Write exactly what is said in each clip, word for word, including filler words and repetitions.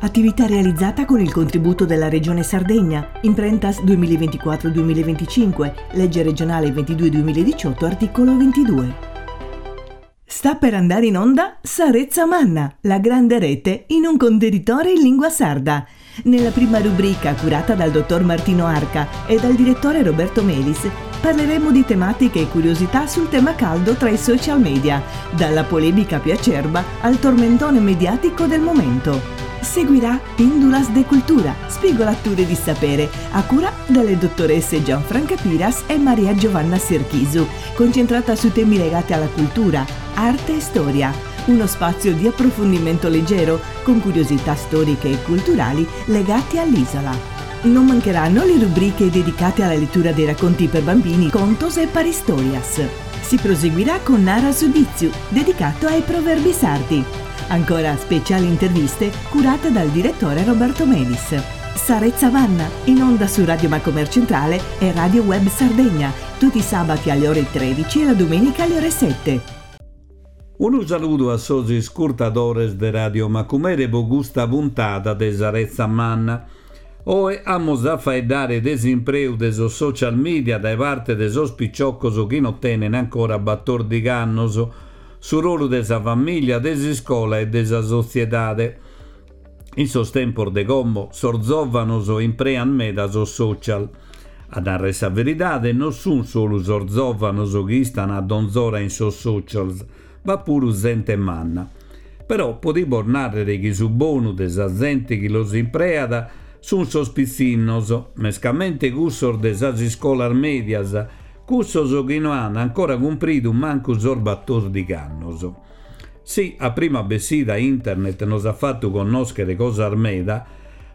Attività realizzata con il contributo della Regione Sardegna, Imprentas duemilaventiquattro duemilaventicinque, legge regionale ventidue duemiladiciotto, articolo ventidue. Sta per andare in onda Sa Retza Manna, la grande rete in un contenitore in lingua sarda. Nella prima rubrica, curata dal dottor Martino Arca e dal direttore Roberto Melis, parleremo di tematiche e curiosità sul tema caldo tra i social media, dalla polemica più acerba al tormentone mediatico del momento. Seguirà Pindulas de Cultura, spigolature di sapere, a cura delle dottoresse Gianfranca Piras e Maria Giovanna Serchisu, concentrata su temi legati alla cultura, arte e storia. Uno spazio di approfondimento leggero, con curiosità storiche e culturali legate all'isola. Non mancheranno le rubriche dedicate alla lettura dei racconti per bambini, contos e paristorias. Si proseguirà con Nara su Ditzu, dedicato ai proverbi sardi. Ancora speciali interviste curate dal direttore Roberto Melis. Sa Retza Manna, in onda su Radio Macomer Centrale e Radio Web Sardegna, tutti i sabati alle ore tredici e la domenica alle ore sette. Unu saludu a sos iscurtadores de Radio Macumere po custa puntada de Sa Retza Manna. Oe amus a faeddare de s'impreu de sos social media dae parte de sos picioccos chi non tenen ancora battordighi annos, su rolu de sa famiglia, de s'iscola e de sa sotziedade. In sos tempos de como, sos zòvanos imprean meda sos social. A narrer sa veridade, non sun solu sos zòvanos chi istan a donzora in sos socials, b'at puru zente manna. Però podimos nàrrere chi su bonu de sa zente chi los impreat sun sos pitzinnos, mescamente cussos de sas iscolas medias, cussos chi no an ancora cumpridu mancu sos battordighi annos. Si a prima bessida internet nos at fatu connòschere cosas meda,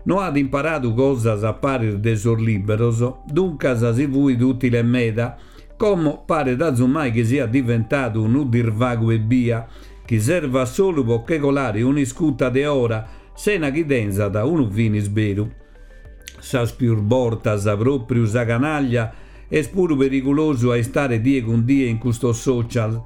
no at imparadu cosas a paris de sos liberos, duncas si fuit ùtile meda. Como paret azumai chi siat diventadu unu disvagu ebbia, chi servat solu po che colare un'iscuta de ora, sena chi tenzat unu finis beru. Sas pius bortas pròpriu sa canaglia est puru perigulosu a istare die cun die in custos social,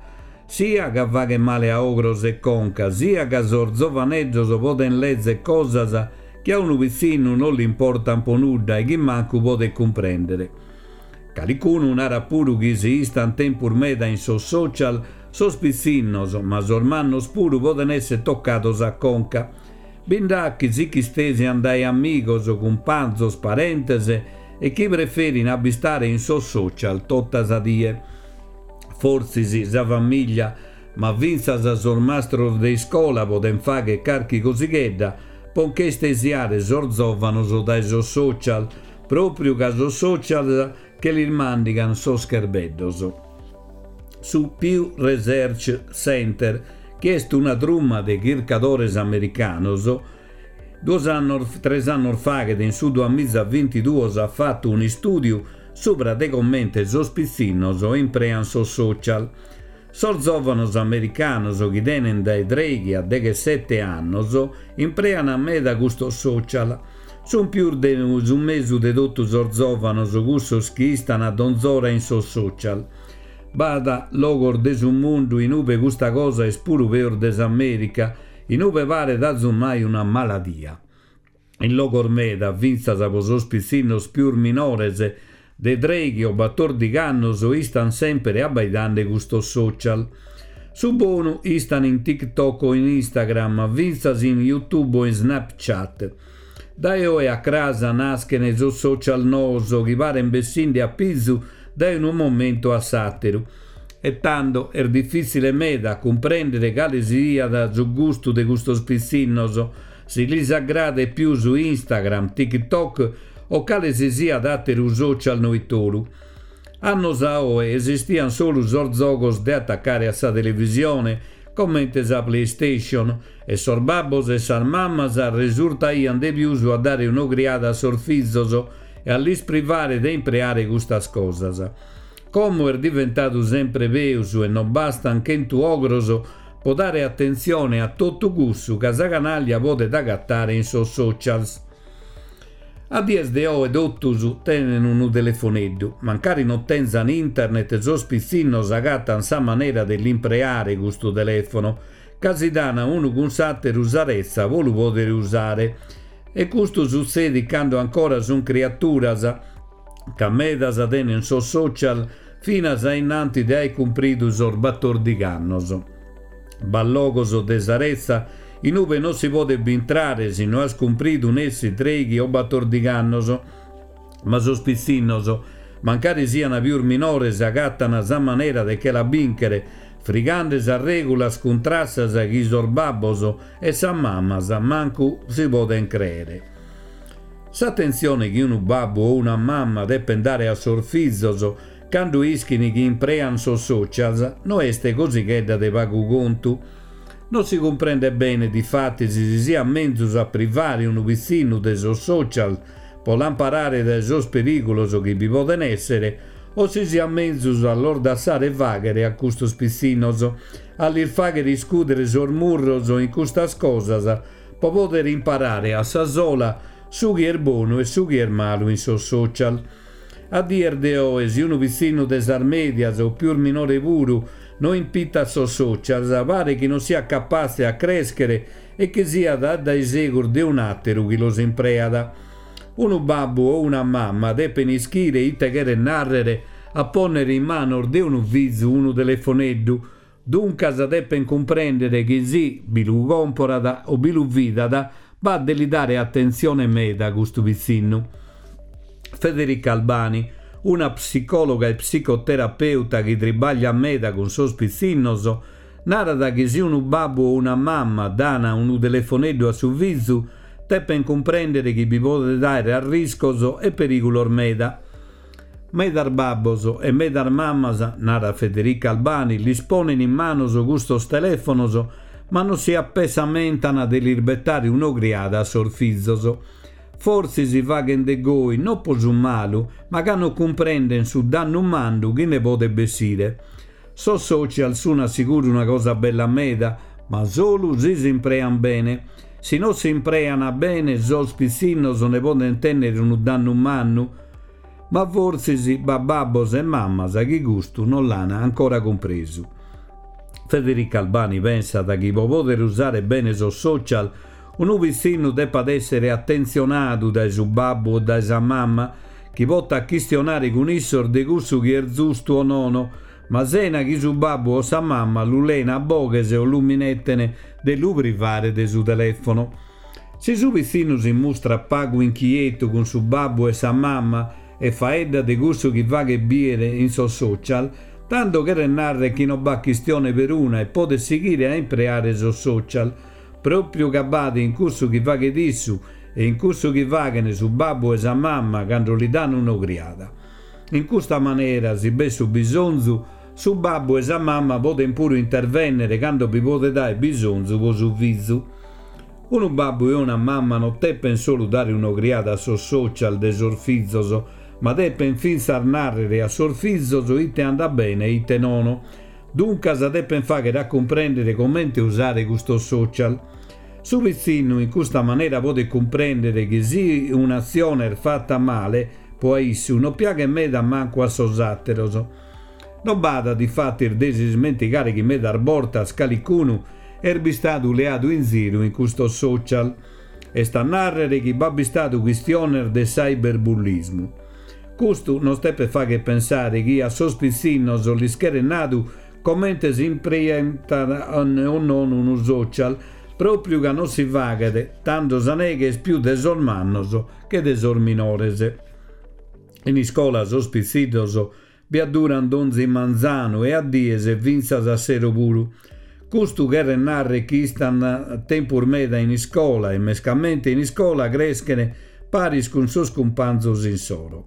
sia ca faghet male a ogros e conca, sia ca sos zovaneddos poden lezer cosas chi a unu pitzinnu non l'importan po nudda e chi mancu podet cumprèndere. Calicunu narat puru chi si istan tempus meda in sos social, sos pitzinnos, ma sos mannos puru poden esser tocados a conca. Bi nd'at chi si ch'istesian dae amigos, cumpanzos, parentes e chi preferin a bistare in sos social tota sa die. Fortzis sa famiglia, ma fintzas sos mastros de iscola poden fagher carchi cosighedda po nche istesiare sos zòvanos dae sos social, pròpriu ca sos social che lis màndigan sos cherbeddos. Su Pew Research Center, chi est una truma de chircadores americanos, duos annos, tres annos faghet, in su duamiza bintiduos, at fatu un'istùdiu subra de comente sos pitzinnos imprean sos social. Sos zòvanos americanos chi tenen dae trèighi a deghessete annos imprean meda custos social. Sun pius de su mesu de totu sos zòvanos cussos chi istan a donzora in sos social. B'at logos de su mundu in ube custa cosa est puru peus de s'Amèrica, in ube paret azumai una maladia. In logos meda, fintzas po sos pitzinnos pius minores de trèighi o battordighi annos, istan sempre abbaidande custos social. Su bonu istan in TikTok o in Instagram, fintzas in YouTube o in Snapchat. Dae oe a cras naschen sos social noos chi paren bessinde a pizu dae unu momentu a s'àteru. E tando est difìtzile meda a cumprèndere cale siat su gustu de custos pitzinnos, si lis agradet pius Instagram, TikTok o cale si siat àteru social noitoru. Annos a oe esistian solu sos zogos de atacare a sa televisione, comente sa PlayStation, e sos babbos e sas mammas resurtaian de pius a dare un'ogriada a sos fizos e a lis privare de impreare custas cosas. Como est diventadu sempre peus e non bastan chentu ogros po dare atentzione a totu cussu ca sa canaglia podet agatare in sos socials. A dies de oe totus tenen unu telefoneddu. Mancari non tenzan internet, sos pitzinnos agatan sa manera de l'impreare custu telefono, ca si dana unu cun s'àteru sa retza po lu pòdere usare. E custu sutzedit cando ancora sunt criaturas, ca medas tenen sos social finas a innanti de aer cumpridu sos batòrdighi annos. B'at logos de sa retza in ube non si podet bintrare si no as cumpridu nessi trèighi o batòrdighi annos, ma sos pitzinnos, mancari sian pius minores, agattan sa manera de che la bìnchere, frigande sas règulas cun trassas chi sos babbos e sas mamas mancu si poden crèere. S'atentzione chi unu babbu o una mama depen dare a sos fizos cando ischin chi imprean sos socials no est cosighedda de pagu contu. Non si cumprendet bene, difatis, si siat menzus a privare unu pitzinnu de sos social po l'amparare dae sos perìgulos chi bi poden èssere, o si siat menzus a los dassare fàghere a custos pitzinnos, a lis fàghere iscùdere sos murros in custas cosas po pòdere imparare a sa sola su chi est bonu e su chi est malu in sos social. A dies de oe, si unu pitzinnu de sas mèdias o pius minore puru no impitat sos socials, paret chi non siat capatze a crèschere e chi siat a dae segus de un'àteru chi los impreat. Unu babbu o una mama depen ischire ite cheret nàrrere a pònnere in manos de unu fizu unu telefoneddu, duncas depen cumprèndere chi si bi lu còmporat o bi lu fidat, b'at de li dare atentzione meda a custu pitzinnu. Federica Albani, una psicòloga e psicoterapeuta chi tribagliat meda cun sos pitzinnos, narat chi si unu babbu o una mama dana unu telefoneddu a su fizu, depen cumprèndere chi bi podet àere arriscos e perìgulos meda. Medas babbos e medas mamas, narat Federica Albani, lis ponen in manos custos telèfonos, ma non si apessamentan de lis betare un'ogriada a sos fizos. Fortzis faghen de goi non po su malu, ma ca non cumprenden su dannu mannu chi ne podet bessire. Sos social sun a siguru una cosa bella meda, ma solu si s'imprean bene. Si non s'imprean bene, sos pitzinnos ne poden tènnere unu dannu mannu, ma fortzis b'at babbos e mamas chi custu non l'an ancora cumpresu. Federica Albani pensat chi po pòdere usare bene sos social unu pitzinnu depat èssere atentzionadu dae su babbu o dae sa mama, chi potat chistionare cun issos de cussu chi est zustu o nono, ma sena chi su babbu o sa mama lu leen a boghes o lu mineten de lu privare de su telèfono. Si su pitzinnu si mustrat pagu inchietu cun su babbu e sa mama e faeddat de cussu chi faghet bìere in sos social, tando cheret nàrrere chi non b'at chistione peruna e podet sighire a impreare sos social, pròpiu ca b'at in cussu chi faghet issu e in cussu chi faghen su babbu e sa mama cando li dan un'ogriada. In custa manera, si b'est su bisonzu, su babbu e sa mama poden puru intervènnere cando bi podet àere bisonzu po su fizu. Unu babbu e una mama non depen solu dare un'ogriada a sos social de sos fizos, ma depen fintzas nàrrere a sos fizos ite andat bene e ite nono. Duncas depen fàghere a cumprèndere comente usare custos social. Su pitzinnu in custa manera podet cumprèndere chi si un'atzione est fata male, po a issu non piaghet meda mancu a sos àteros. Non b'at difatis de s'ismentigare chi medas bortas calicunu est bistadu leadu in ziru in custos social. Est a nàrrere chi b'at bistadu chistiones de cyberbullismu. Custu nos depet fàghere pensare chi a sos pitzinnos lis cheret nadu comente si impreat o non unu social, pròpiu ca non si faghet, tando sa neghe est pius de sos mannos che de sos minores. In iscola sos pitzinnos bi adduran donzi manzanu e a dies fintzas a sero puru. Custu cheret nàrrere chi istan tempus meda in iscola e mescamente in iscola creschen paris cun sos cumpanzos insoro.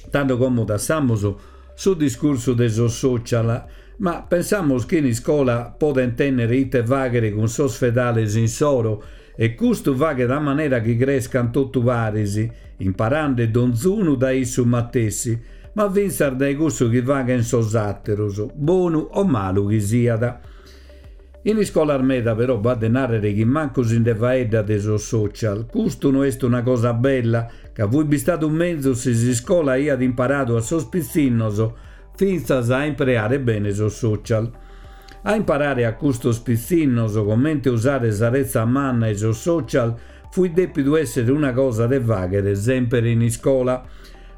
Tando como dassamus su discursu de sos social, ma pensamus chi in iscola poden tènnere ite fàghere cun sos fedales insoro e custu faghet a manera chi crescan totu paris, imparande donzunu dae issu matessi, ma fintzas dae cussu chi faghen sos àteros, bonu o malu chi siat. In iscolas meda però b'at de nàrrere chi mancu si nde faeddat de sos social. Custu no est una cosa bella, ca fuit bistadu menzus si s'iscola aiat imparadu a sos pitzinnos fintzas a impreare bene sos social. A imparare a custos pitzinnos comente usare sa retza manna e sos social fuit dèpidu èssere una cosa de fàghere semper in iscola,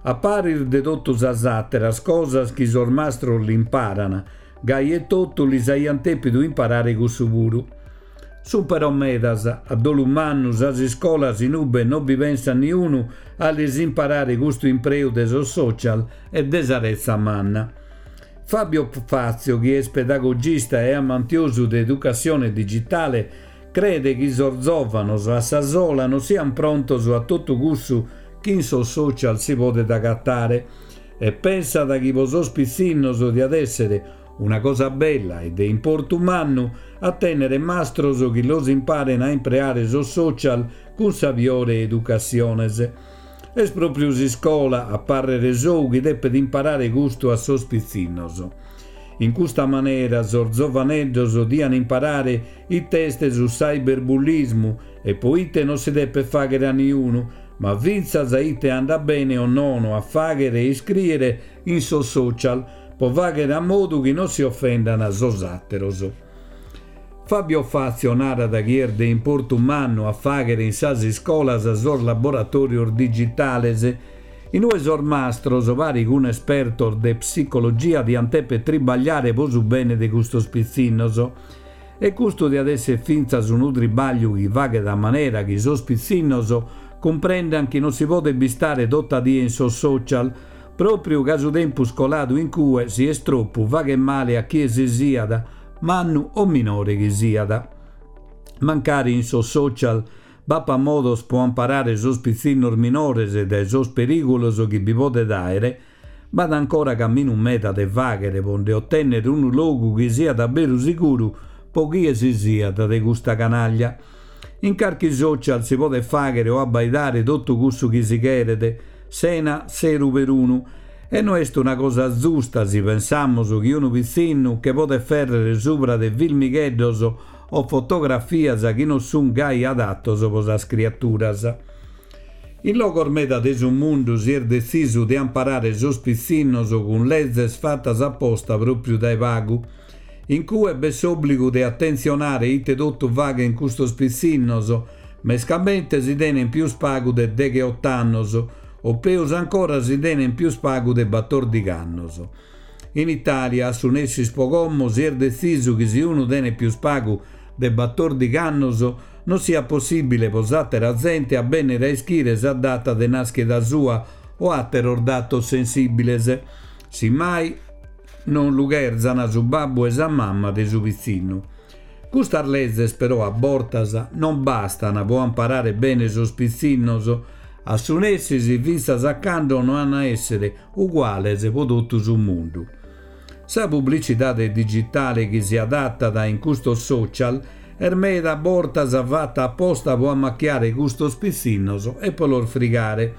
a paris de totu sas àteras cosas chi sos mastros l'imparana, gai etotu lis aiant dèpidu imparare cussu puru. Sunt però medas, a dolu mannu, sas iscolas in ube non bi pensat niunu a lis imparare custu impreu de sos social e de sa retza manna. Fabio Fazio, chi est pedagogista e amantiosu de educassione digitale, credet chi sos zòvanos a sa sola non siant prontos a totu cussu chi in sos social si podet agatare e pensat chi pro sos pitzinnos diat èssere una cosa bella e de importu mannu a tènnere mastros chi los imparen a impreare sos social cun sabiore e educassiones. Est pròpriu s'iscola, a pàrrere sou, chi depet imparare custu a sos pitzinnos. In custa manera sos zovaneddos dian imparare ite est su cyberbullismu e pro ite non si depet fàghere a niunu, ma fintzas ite andat bene o nono a fàghere e iscrìere in sos social, pro fàghere a modu chi non si ofendan sos àteros. Fabio Fazio narat chi est de importu mannu a fàghere in sas iscolas sos laboratòrios digitales, in ue sos mastros, pari cun espertos de psicologia, diant dèpere tribagliare pro su bene de custos pitzinnos. E custu diat èssere fintzas unu tribagliu chi faghet a manera chi sos pitzinnos cumprendant chi non si podet bistare tota die in sos social, pròpriu ca su tempus coladu in cue, si est tropu, faghet male a chie si siat, mannu o minore chi siat. Mancari in sos social b'apat modos pro amparare sos pitzinnos minores dae sos perìgulos chi bi podet àere, b'at ancora caminu meda de fàghere pro nde otènnere unu logu chi siat a beru siguru pro chie si siat de custa canaglia. In carchi social si podet fàghere o abbaidare totu cussu chi si cheret, sena seru perunu, e no est una cosa zusta si pensamus chi unu pitzinnu che podet fèrrere subra de filmigheddos o fotografias chi non sunt gai adatos pro sas criaturas. In logos meda de su mundu si est detzisu de amparare sos pitzinnos cun lezes fatas aposta pròpriu dae pagu. In cue b'est s'òbligu de atentzionare ite totu faghent custos pitzinnos, mescamente si tenent pius pagu de degheoto annos, o peus ancora si tenent pius pagu de batòrdighi annos. In Itàlia, a su nessis pro como, si est detzisu chi si unu tenet pius pagu de batòrdighi annos non siat possìbile pro s'àtera zente a bènnere a ischire sa data de nàschida sua o àteros datos sensìbiles, si mai non lu cherzan su babbu e sa mamma de su pitzinnu. Custas lezes però a bortas non bastan pro amparare bene sos pitzinnos, a su nessis fintzas a cando no an a èssere uguales pro totu su mundu. Sa publicidade digitale chi si adatat in custos social est meda bortas fata aposta pro ammachiare custos pitzinnos e pro los frigare.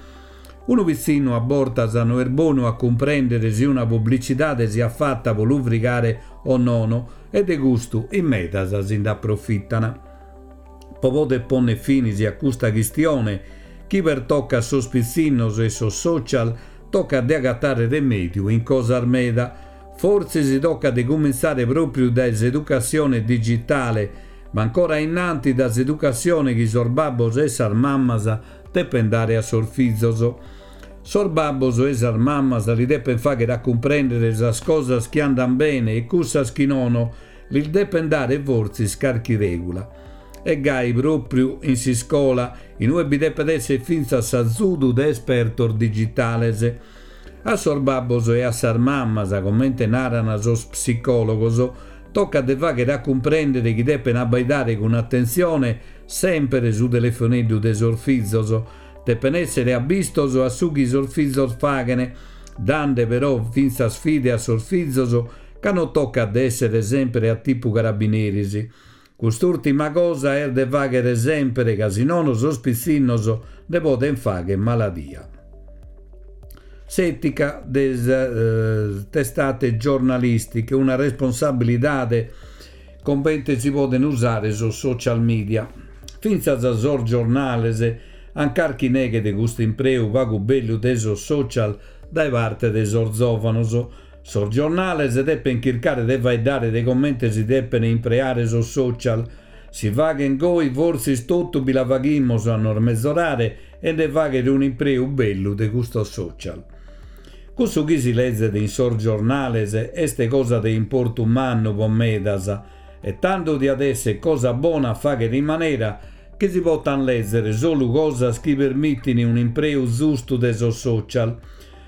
Unu pitzinnu a bortas no est bonu a cumprèndere si una publicidade siat fata pro lu frigare o nono, e de custu in medas si nd'aprofitan. Pro poder pònnere finis a custa chistione chi pertocat sos pitzinnos e sos social, tocat de agatare remèdiu in cosas meda. Fortzis tocat de cumintzare pròpriu dae s'educassione digitale, ma ancora innanti dae s'educassione chi sos babbos e sas mammas depent dare a sos fizos. Sos babbos e sas mammas li depent fàghere a cumprèndere sas cosas chi andant bene e cussas chi nono, lis depent dare fortzis carchi règula. E gai pròpriu in s'iscola, in ue bi depet èssere fintzas s'azudu de espertos digitales. A sos babbos e a sas mammas, comente naran sos psicòlogos, tocat de fàghere a cumprèndere chi depent abbaidare cun atentzione semper su telefoneddu de sos fizos, depent èssere abbistos a su chi sos fizos faghent, dande però fintzas fide a sos fizos ca non tocat de èssere semper a tipu carabineris. Cust'ùrtima cosa est de fàghere semper, ca si nono sos pitzinnos nde podent fàghere maladia. S'ètica de sas testate giornalistiche, una responsabilidade comente si podent usare sos social media. Fintzas sos giornales an carchi neghe de custu impreu pagu bellu de sos social dae parte de sos zòvanos. Sos giornales depen chircare de faeddare de comente si depen impreare sos social. Si faghen goi fortzis totu bi la faghimus a nos mezorare e nde faghere un'impreu bellu de custos social. Cussu chi si lezet in sos giornales est cosa de importu mannu po medas e tando diat essere cosa bona a faghere in manera chi si potan lezere solu cosas chi permittin un'impreu zustu de sos social.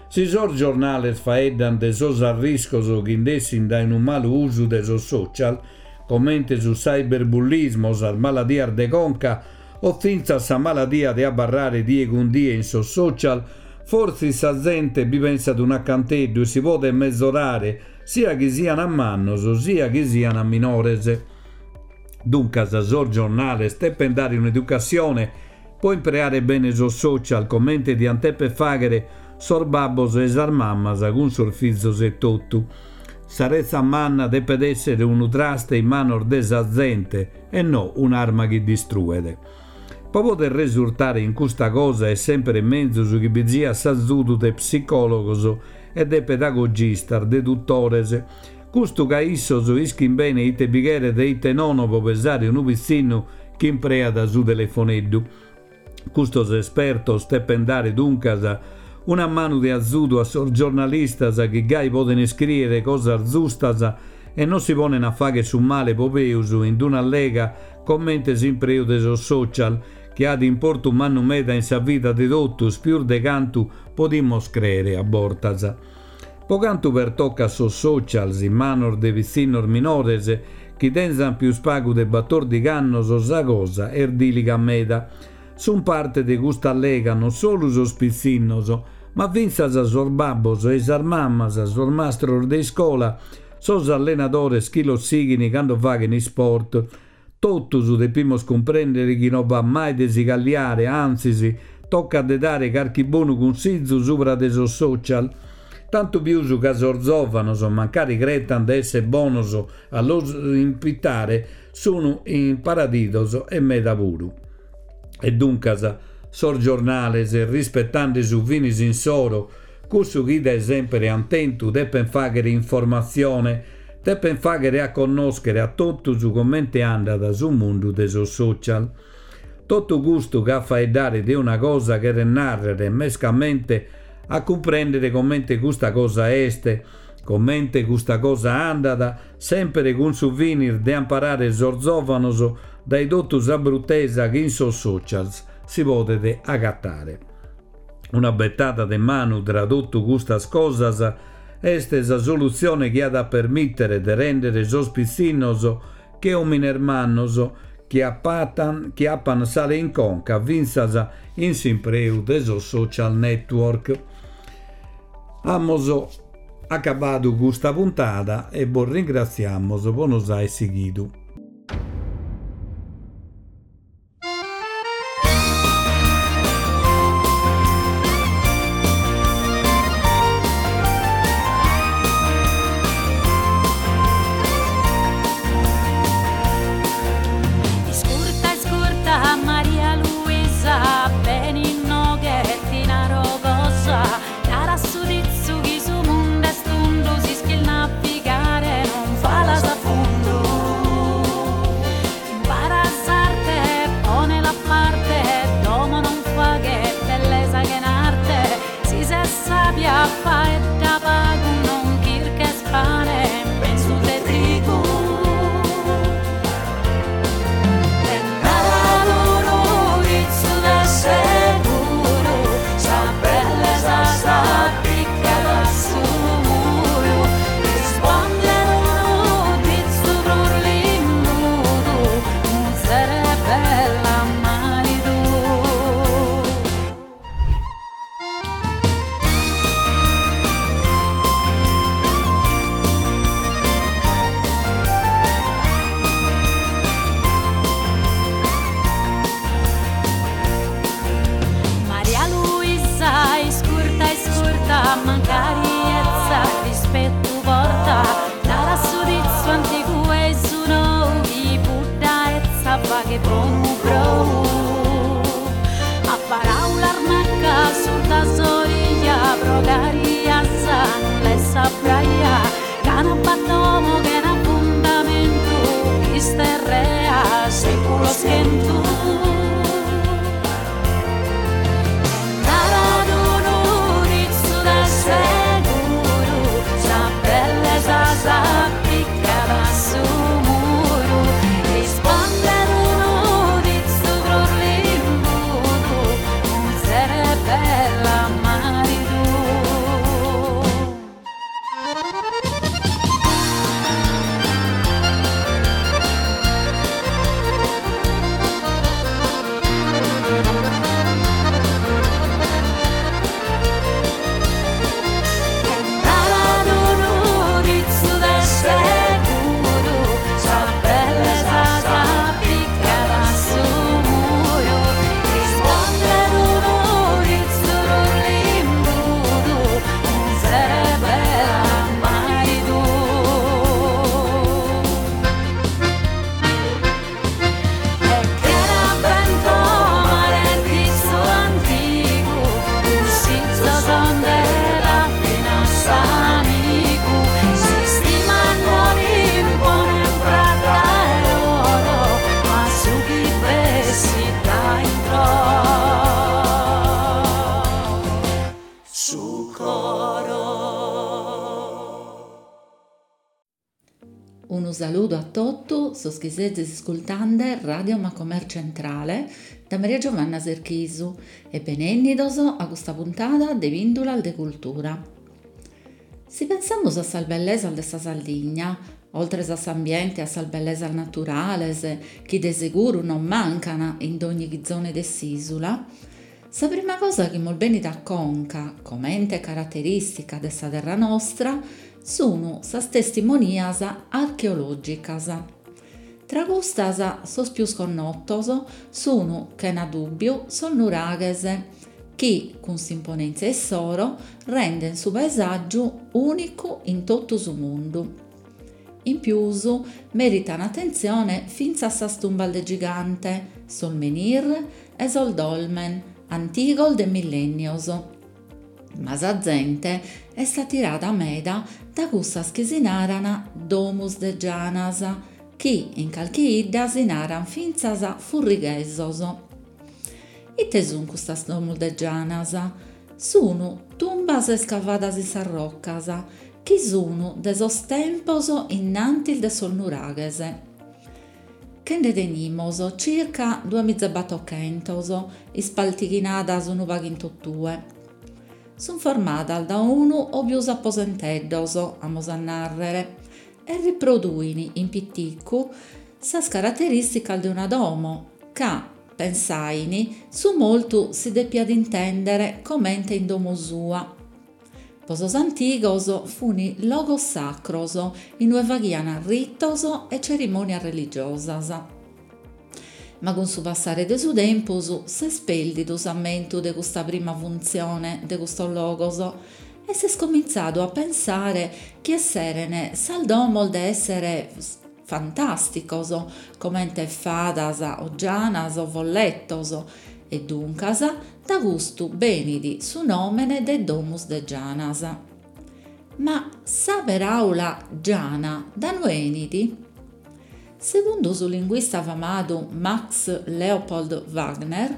Si sos giornales faeddan de sos arriscos chi nd'essin dae unu malu usu de sos social, comente su cyberbullismo, sas maladias de conca o fintzas sa maladia de abarrare die cun die in sos social, fortzis sa zente bi pensat un'acanteddu e si podet mezorare, sia chi sian mannos, sia chi sian minores. Duncas sos giornales depen dare un'educassione po impreare bene sos social, comente diant deper faghere sos babbos e sas mammas cun sos fizos e totu. Sa retza manna depet essere unu traste in manos de sa zente e no un'arma chi distruet. Po poder resurtare in custa cosa est sempre menzus chi bi siat s'azudu de psicologos e de pedagogistas, de tutores. Custu ca issos ischin bene ite bi cheret e ite nono po pesare unu pitzinnu chi impreat su telefoneddu. Custos espertos depen dare duncas una manu de azudu a sos giornalistas chi gai poden iscriere cosas zustas e non si ponen a fagher su male po peus in d'una allega comente s'impreu de sos social, chi at importu mannu meda in sa vida de totus pius de cantu podimos creere a bortas. Po cantu pertocat sos socials in manos de pitzinnos minores chi tenzan pius pagu de battordighi annos, sa cosa est diliga meda. Sun parte de custa allega non solu sos pitzinnos, ma fintzas sos babbos e sas mammas, sos mastros de iscola, sos allenadores chi los sighin cando faghen isport. Totus depimos cumprendere chi non b'at mai de si calliare, antzis, tocat de dare carchi bonu cunsizu subra de sos social. Tantu pius ca sos zovanos, mancari cretan de essere bonos a los impitare, sunu imparadidos e meda puru. E duncas sos giornales, rispettande su finis insoro, cussu chi dae sempre han tentu, depen faghere informatzione, depen faghere a connoschere a totus comente andat su mundu de sos social. Totu custu ca a faeddare de una cosa cheret narrere, mescamente a cumprendere comente custa cosa est, comente custa cosa andat, sempre cun su finis de amparare sos zovanos dae totu sa bruttesa chi in sos socials si podet agattare. Una bettada de manu tra totu custas cosas est sa solutzione chi at a permittere de rendere sos pitzinnos che omines mannos chi apatan, chi apan sale in conca fintzas in s'impreu de sos social network. Amos acabadu custa puntada e bos ringratziamos po nos aer sighidu. Iscurta, iscurta, Maria Luisa, beni inoghe ti naro cosa, nara su dizzu chi su mundu est tundu, s'ischis navigare non falas a fundu. chentu. Narat unu ditzu de seguru, sa bellesa s'apicat a su muru. Rispondet unu ditzu prus limbudu, muzere bella maridu. Narat unu ditzu de seguru, sa bellesa s'apicat a su muru. Rispondet unu ditzu prus limbudu, muzere bella maridu. E chena fentomare ditzu antigu, cussizos nde dat finas s'amigu. S'istima non imponet prata e oro, ma su chi bessit da intro su coro. Unu saludu a totu sos chi sezis iscultande Radio Macomer Centrale da Maria Giovanna Serchisu e benennidos a custa puntada de Pìndulas de Cultura. Si pensamus a sas bellesas de sa Sardigna, oltres a s'ambiente e a sas bellesas naturales, chi de seguru non mancan in dogni chizone de s'isula, sa prima cosa chi mos benit a conca, comente caraterìstica de sa terra nostra, sun sas testimonias archeològicas. Tra custas, sos pius connotos sun, chena dùbbiu, sos nuraghes, chi, cun s'imponèntzia issoro, renden su paesàgiu ùnicu in totu su mundu. In pius, meritan atentzione fintzas sas tumbas de gigante, sos menhir e sos dolmen, antigos de millènnios. Ma sa zente est atirada meda da cussas chi si naran domus de gianas, chi in calchi 'idda si naran fintzas furrighesos. Ite sun custas domus de gianas? Sun tumbas escavadas in sas rocas, chi sun de sos tempos innantis de sos nuraghes. Che nde tenimos circa duamiza e batochentos, ispaltighinadas unu pagu in totue. Sun formadas da unu o pius aposenteddos, amus a nàrrere, e riproduin in piticu sas caraterìsticas de una domo, ca, pensain, su mortu si depiat intèndere comente in domo sua. Po sos antigos fun logos sacros inue faghian ritos e cerimònias religiosas. Ma cun su passare de su tempus s'est pèrdidu s'ammentu de custa prima funtzione de custos logos e s'est comintzadu a pensare chi esseren sas domos de èsseres fantàsticos, comente fadas o gianas o folletos, e duncas da custu benit su nòmene de domus de gianas. Ma sa peràula giana da inue 'enit? Segundu su linguista famadu Max Leopold Wagner,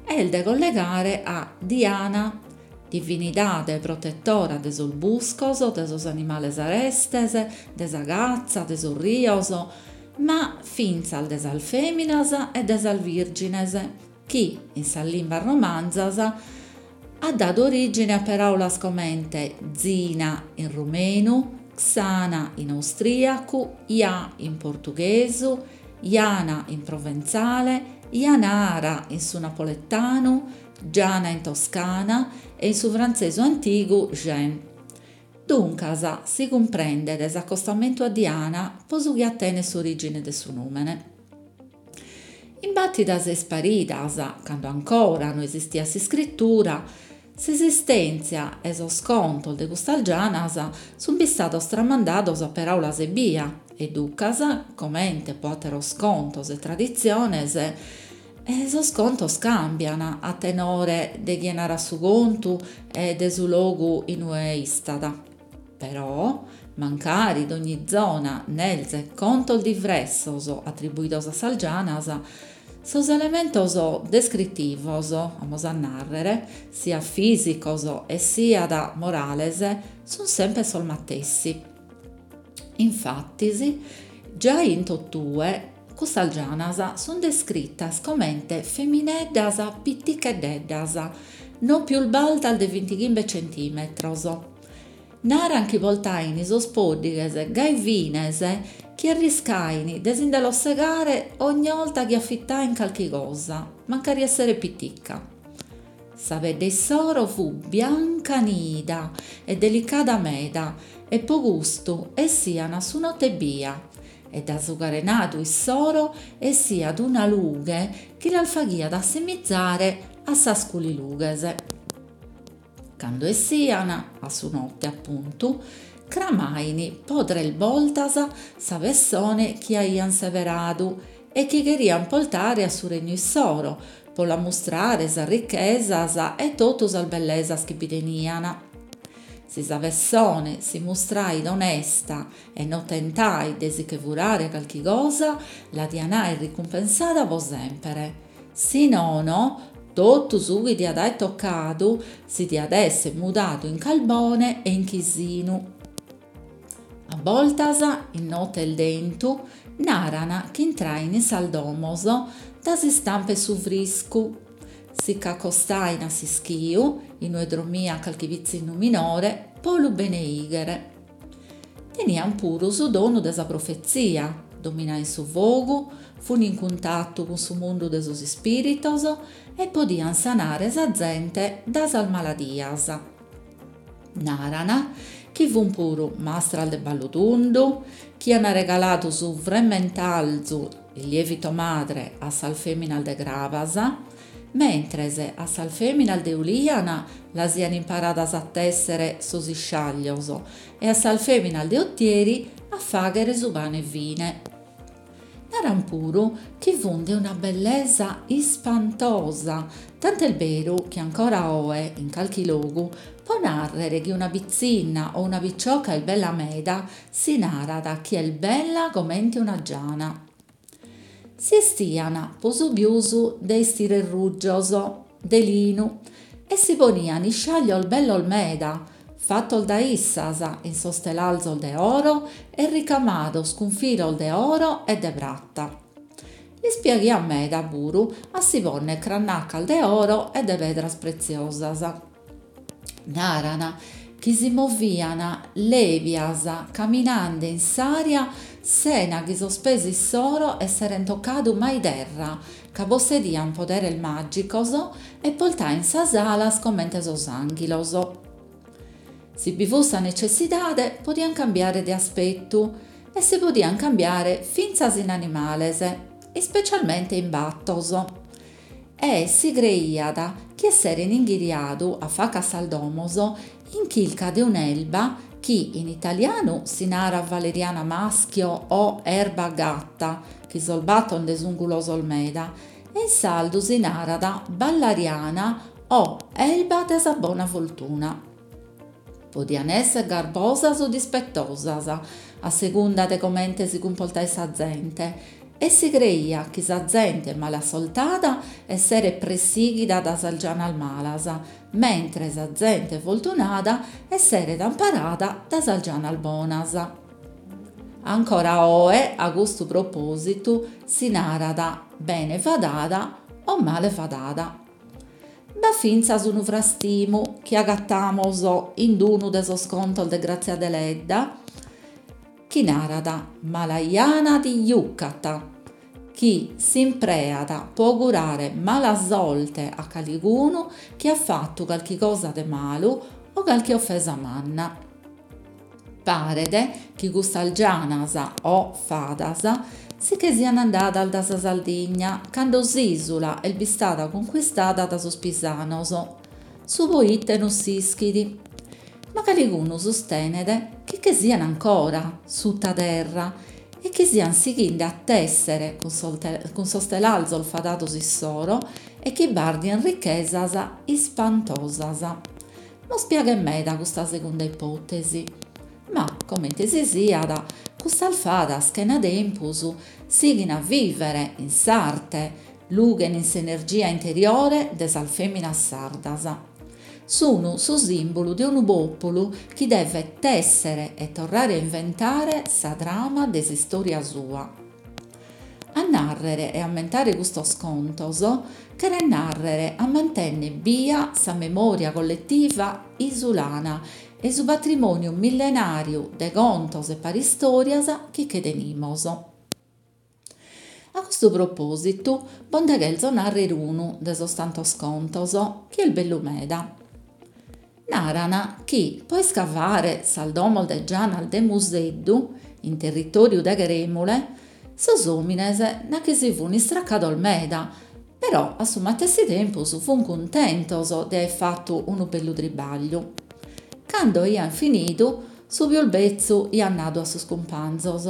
est de collegare a Diana, divinidade protetora de sos buscos, de sos animales arestes, de sa catza, de sos rios, ma fintzas de sas fèminas e de sas vìrgines, chi in sas limbas romanzas at dadu orìgine a peràulas comente Zina in rumenu, Xana in austrìacu, Ja in portughesu, Jana in proventzale, Janara in su napoletanu, Giana in toscana e in su frantzesu antigu Jean. Duncas si cumprendet s'acostamentu a Diana po su chi atenet s'orìgine de su nùmene. In bàtidas e isparidas, cando ancora no esistiat s'iscritura, s'esistèntzia e sos contos de custas gianas sunt bistados tramandados a peràulas ebbia e duncas, comente po àteros contos e traditziones, sos contos càmbian a tenore de chie narat su contu e de su logu in ue istat. Però, mancari dogni zona nelzet contos divressos atribuidos a sas gianas, Sos elementos descritivos, amus a nàrrere, siat fìsicos e siat morales, sunt semper sos matessi. Infatis, giai in totue custas gianas sunt descritas comente femineddas piticheddeddas, non pius baltas de bintighimbe centìmetros. Naran chi portain sos pòddighes gai fines chi arriscain de si nde los segare ogni 'olta chi afitain carchi cosa, mancari esseret pitica. Sa pedde issoro fut bianca nida e delicada meda e pro custu essian a su note ebbia e dae su carenadu issoro essiat una lughe chi las faghiat assimizare a sas culilughes. Cando essian, a su note apuntu, cramain po tres boltas sa pessone chi aian seberadu e chi cherian portare a su regnu issoro pro l'ammustrare sas richesas e totu sas bellesas chi bi tenian. Si sa pessone si mustrait onesta e no tentait de si che furare carchi cosa, la dian aer ricumpensada pro semper, si nono totu su chi diat aer tocadu si diat esser mudadu in carbone e in chisinu. A bortas, in note 'e 'entu, naran chi intrain in sas domos dae s'istampa 'e su friscu, si ch'acostain a s'ischiu, inue drommiat carchi pitzinnu minore, pro lu beneighere. Tenian puru su donu de sa profetzia, dominain su fogu, fun in cuntatu cun su mundu de sos ispìritos e podian sanare sa zente dae sas maladias. Naran chi fun puru mastras de ballu tundu, chi an regaladu su fremmentarzu, il lievito madre, a sas feminas de Crabas, mentres a sas feminas de Ulìana las aian imparadas a tèssere sos isciaglios e a sas feminas de Otieri a fàghere su pane fine. Naran puru chi fun de una bellesa ispantosa, tant'est beru chi ancora oe, in carchi logu, pro nàrrere chi una pitzinna o una picioca est bella meda, si narat chi est bella comente una giana. Si 'estian pro su pius de 'estires rujos, de linu, e si ponian isciaglios bellos meda, fatos dae issas in sos telarzos de oro e ricamados cun filos de oro e de prata. Lis piaghiat meda puru a si ponnere crannacas de oro e de pedras pretziosas. Naran chi si movian lèbias caminende in s'ària sena chi sos pes issoro esseren tocadu mai terra, ca possedian poderes màgicos e portain sas alas comente sos ànghilos. Si bi fut sa netzessidade podian cambiare de aspetu e si podian cambiare fintzas in animales, ispecialmente in batos. E si creiat chi esseren inghiriadu a faca a sas domos in chirca de un'erba chi in italianu si narat valeriana maschio o erba gatta, chi sos batos nde sun gulosos meda, e in sardu si narat ballariana o erba de sa bona fortuna. Podian esser garbosas o dispetosas, a segunda de comente si cumportait sa zente, e si creiat chi sa zente malassortada esseret pressighida dae sas gianas malas, mentres sa zente fortunada esseret amparada dae sas gianas bonas. Ancora oe, a custu propòsitu, si narat bene fadada o male fadada. B'at fintzas unu frastimu chi agatamus in unu de sos contos de Grazia Deledda, chi narat mala jana ti jucat, chi s'impreat pro augurare mala sorte a calicunu chi at fatu carchi cosa de malu o carchi ofesa manna. Paret chi custas gianas o fadas si che sian andadas dae sa Sardigna cando s'ìsula est bistada concuistada dae sos pisanos, su poite non s'ischit, ma calicunu sustenet chi che sian ancora suta terra e chi sian sighende a tèssere cun sos cun sos telarzos fadados issoro e chi bàrdien richesas ispantosas. Nos piaghet meda custa segunda ipòtesi, ma comente si siat, custas fadas chena tempus sighin a vìvere in s'arte, Lughen in s'energia interiore de sas fèminas sardas. Sun su sìmbulu de unu pòpulu chi devet tèssere e torrare a inventare sa trama de s'istòria sua. A nàrrere e ammentare custos contos cheret nàrrere a mantènnere bia sa memòria colletiva isulana e su patrimòniu millenàriu de contos e paristòrias chi che tenimus. A custu propòsitu bos nde cherzo nàrrere unu de sos tantos contos, chi est bellu meda. Naran chi pro iscavare sas domos de gianas de Museddu, in territòriu de Cherèmule, sos òmines nachi si fun istracados meda, però a su matessi tempus fun cuntentos de aer fatu unu bellu tribagliu. Cando aian finidu, su pius betzu aiat nadu a sos cumpanzos,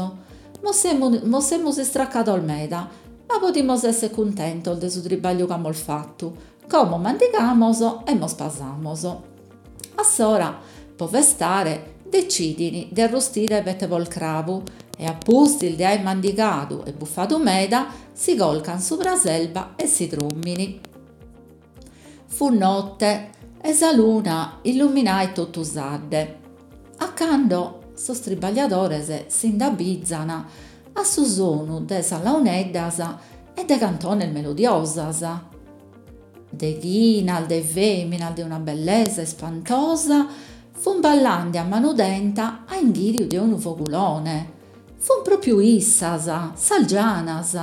Mos semus mos semus istracados meda, ma podimus esser cuntentos de su tribagliu chi amus fatu, como mandigamos e mos pasamos. A s'ora, pro festare, detzidin de arrustire petta 'e porcrabu e a pustis de aer mandigadu e bufadu meda, si corcan subra s'erba e si drommin. Fut notte e sa luna illuminait totu s'adde. A cando sos tribagliadores si nd'abizan a su sonu de sas launeddas e de cantones melodiosas. Deghinas de feminas de una bellesa ispantosa fun ballende a manu tenta a inghiriu de unu fogulone. Fun propriu issas, sas gianas.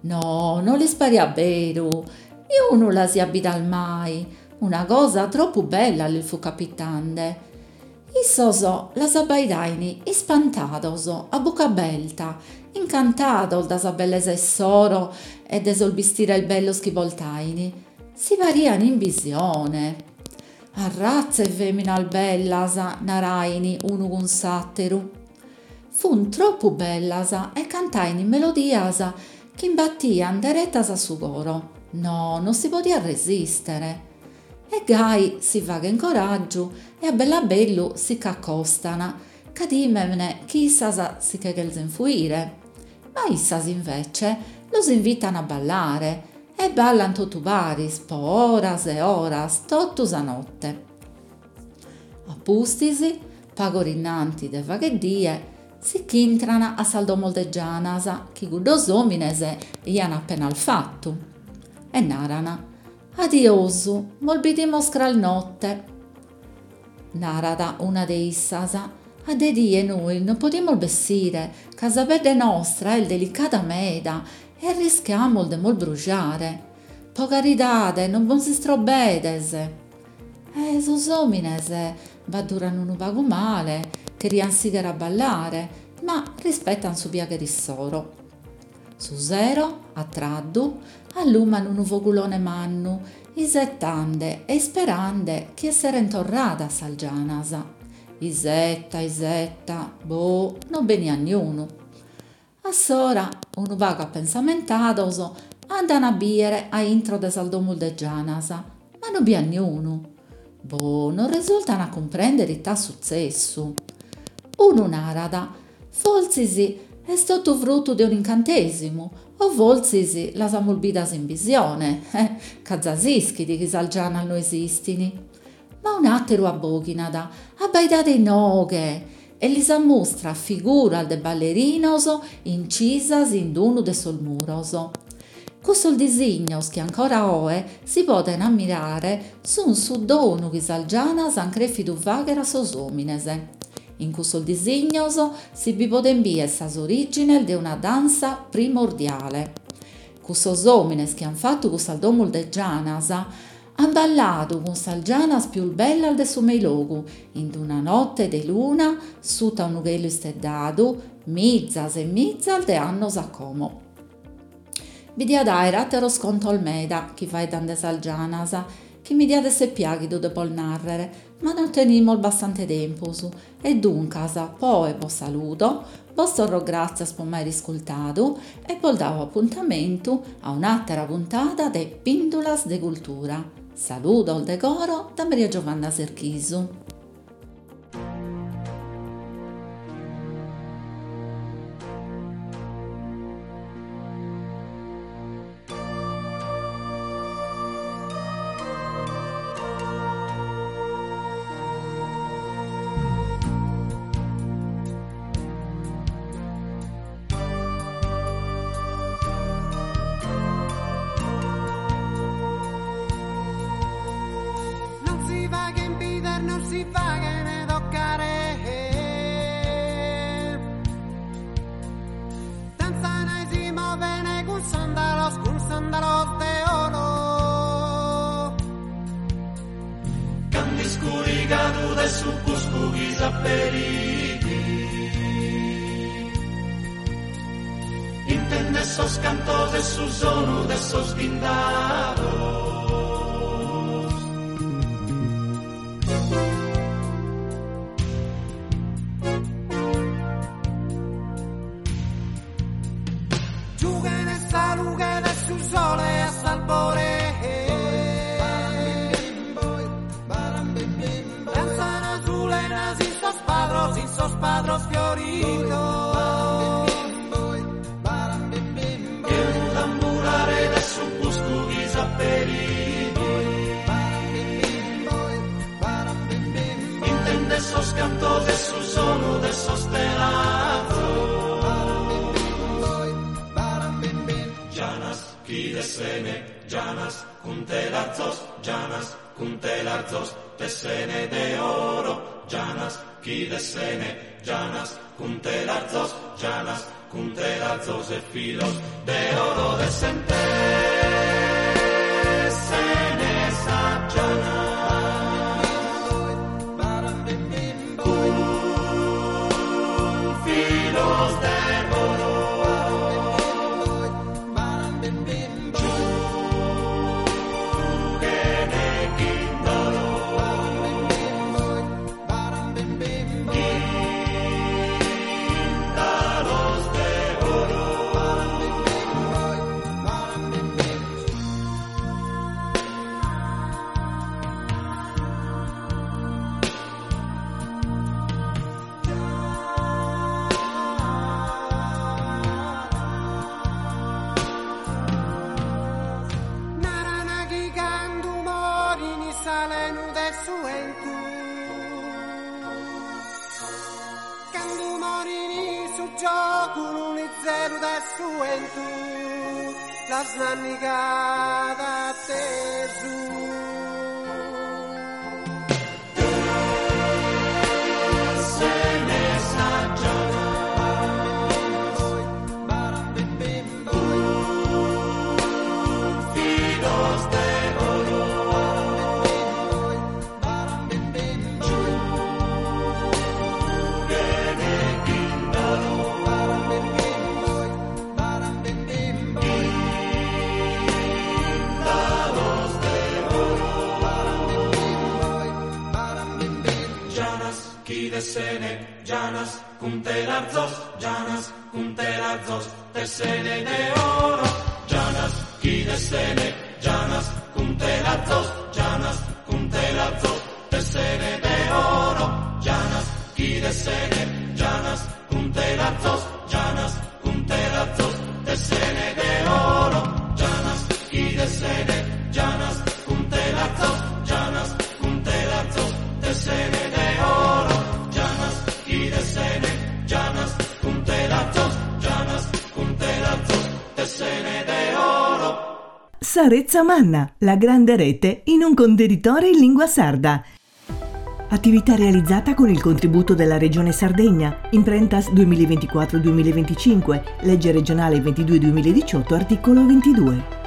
No, no lis pariat beru, niunu las aiat bidas mai, una cosa tropu bella lis fut capitende. Issos las abbaidain ispantados, a bucca aberta, incantados dae sa bellesa issoro e de sos bistires bellos chi portain, si parian in bisione. Arrazza 'e feminas bellas, narain unu cun s'atteru. Fun tropu bellas e cantain melodias chi imbattian derettas a su coro, no non si podiat resistere. E gai si faghen coraggiu e a bellu a bellu si ch'accostan, ca timen chi issas si che cherzen fuire, ma issas invece los invitan a ballare e ballan totu paris pro oras e oras, totu sa notte. A pustis, pagu ora innanti de fagher die, si ch'intran a sas domos de gianas chi cuddos omines aian appenas fatu e naran, Adiosu, mos bidimus cras notte. Narat una de issas, a de die nois non podimus bessire ca sa pedde nostra est delicada meda e arrischiamus de mos brujare. Pro caridade non bos istrobbedes. E sos omines b'adduran unu pagu male, cherian sighere a ballare, ma rispetan su piaghere issoro. Su sero, a tradu, alluman unu fogulone mannu, isetende e isperende chi esseren torradas sas gianas. Isetta, isetta, boh, non beniat niunu. A s'ora, unu pagu apensamentados, andan a biere a intro de sas domos de gianas, ma non bi at niunu. Boh, non resultan a cumprendere it'at sutzessu. Unu narat, fortzis est totu frutu de un'incantesimu o fortzis las amus bidas in bisione, ca za s'ischit chi sas gianas no esistin. Ma un'atteru abboghinat, abbaidade inoghe, e lis ammustrat figuras de ballerinos incisas in unu de sos muros. Cussos disignos chi ancora oe si poden ammirare sun su donu chi sas gianas an crèfidu fagher a sos omines. In cussos disignos si bi poden bider sas origines de una dansa primordiale. Cussos omines chi an fatu cussas domos de gianas an balladu cun sas gianas pius bellas de su Meilogu, in una notte de luna, suta unu chelu isteddadu, mizas e mizas de annos a como. Bi diat aer ateros contos meda chi faeddan de sas gianas, chi mi diat esser piaghidu de bos narrere, ma non tenimus bastante tempus e duncas po oe bos saludo, bos torro gràtzias pro m'aer iscultadu e bos dao apuntamentu a un'àtera puntada de Pìndulas de Cultura. Saludos de coro da Maria Giovanna Serchisu. Cand'iscurigadu de su buscu chi s'aperit Intende sos cantos e su sonu de sos ghindados. Giughene sa lughe de su sole a s'albore. Danzan azulenas in sos padros, in sos padros fioridos. Che unu tambulare de su buscu chi s'aperit Intende sos cantos e su sonu de sos telazos. Gianas chi tessene, gianas cun telarzos, gianas cun telarzos, tessene de oro, gianas chi tessene, gianas cun telarzos, gianas cun telarzos e filos de oro tessen, tessene sa giana. Cun filos de oro. Giughene ghindalos. Ghindalos de oro. Narana chi candu morini s'alenu de su 'entu. Candu morini su giogu lizeru de su 'entu. Las nannigada tesu. Tessene sa giana. Cun filos de oro. Giughene ghindalos. Ghindalos de oro. Gianas chi tessene, gianas cun telarzos, gianas cun telarzos, tessene de oro. Gianas chi tessene, gianas cun telarzos, gianas cun telarzos, tessene de oro. Gianas chi tessene, gianas cun telarzos, gianas cun telarzos, tessene de oro. Gianas chi tessene, gianas cun telarzos, gianas cun telarzos, tessene de oro. Gianas chi tessene, gianas cun telarzos, gianas cun telarzos, tessene de oro. Sa Retza Manna, la grande rete in un contenitore in lingua sarda. Attività realizzata con il contributo della Regione Sardegna, Imprentas duemilaventiquattro duemilaventicinque, legge regionale ventidue duemiladiciotto, articolo ventidue.